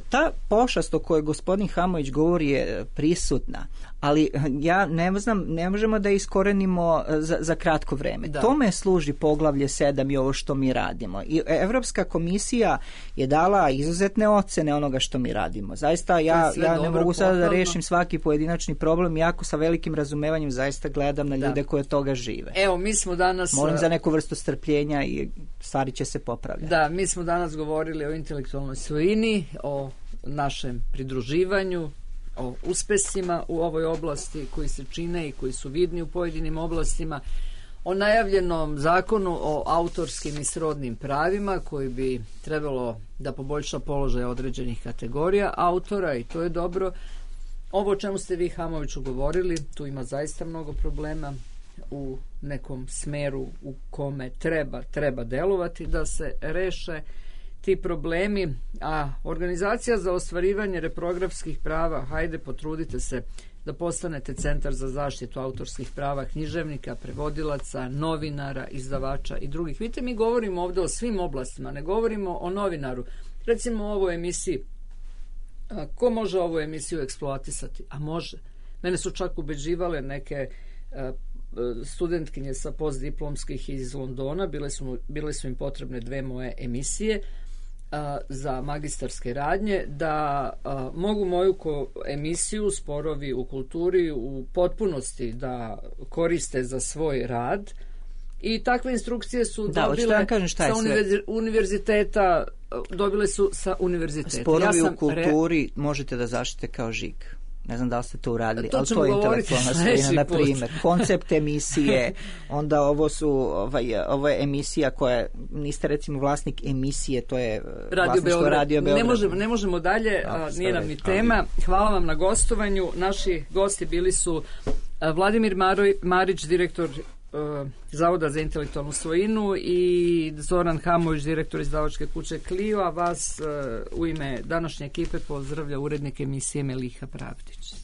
ta pošast o kojoj gospodin Hamović govori je prisutna, ali ja ne znam, ne možemo da je iskorenimo za, za kratko vreme. Da. Tome služi poglavlje sedam i ovo što mi radimo. I Evropska komisija je dala izuzetne ocene onoga što mi radimo. Zaista ja, ja ne mogu sada da rešim svaki pojedinačni problem, jako sa velikim razumevanjem zaista gledam na ljude da. koje toga žive. Evo, mi smo danas... Molim za neku vrstu strpljenja i stvari će se popravljati. Da, mi smo danas govorili o intelektualnoj svojini, o našem pridruživanju, o uspesima u ovoj oblasti koji se čine i koji su vidni u pojedinim oblastima, o najavljenom zakonu o autorskim i srodnim pravima koji bi trebalo da poboljša položaj određenih kategorija autora i to je dobro. Ovo o čemu ste vi, Hamoviću, govorili, tu ima zaista mnogo problema u nekom smeru u kome treba, treba delovati da se reše ti problemi, a Organizacija za ostvarivanje reprografskih prava, hajde potrudite se da postanete centar za zaštitu autorskih prava književnika, prevodilaca, novinara, izdavača i drugih. Vidite, mi govorimo ovdje o svim oblastima, ne govorimo o novinaru. Recimo o ovoj emisiji. A, ko može ovu emisiju eksploatisati? A može. Mene su čak ubeđivale neke a, studentkinje sa postdiplomskih iz Londona, bile su, bile su im potrebne dve moje emisije a, za magistarske radnje, da a, mogu moju ko emisiju Sporovi u kulturi u potpunosti da koriste za svoj rad i takve instrukcije su da, dobile kažem šta je sa univerzi, univerziteta, dobile su sa univerziteta. Sporovi ja sam u kulturi re... možete da zaštite kao žig. Ne znam da li ste to uradili, to ali to je intelektualna svojina, na primjer. Koncept emisije, onda ovo su, ovaj, ovo je emisija koja, niste recimo vlasnik emisije, to je Radio Beograd. Radio Beograd. Ne možemo, ne možemo dalje, no, a, nije nam ni tema. Hvala vam na gostovanju. Naši gosti bili su a, Vladimir Maroj, Marić, direktor a, Zavoda za intelektualnu svojinu i Zoran Hamović, direktor izdavačke kuće Clio, a vas a, u ime današnje ekipe pozdravlja urednik emisije Meliha Pravdić.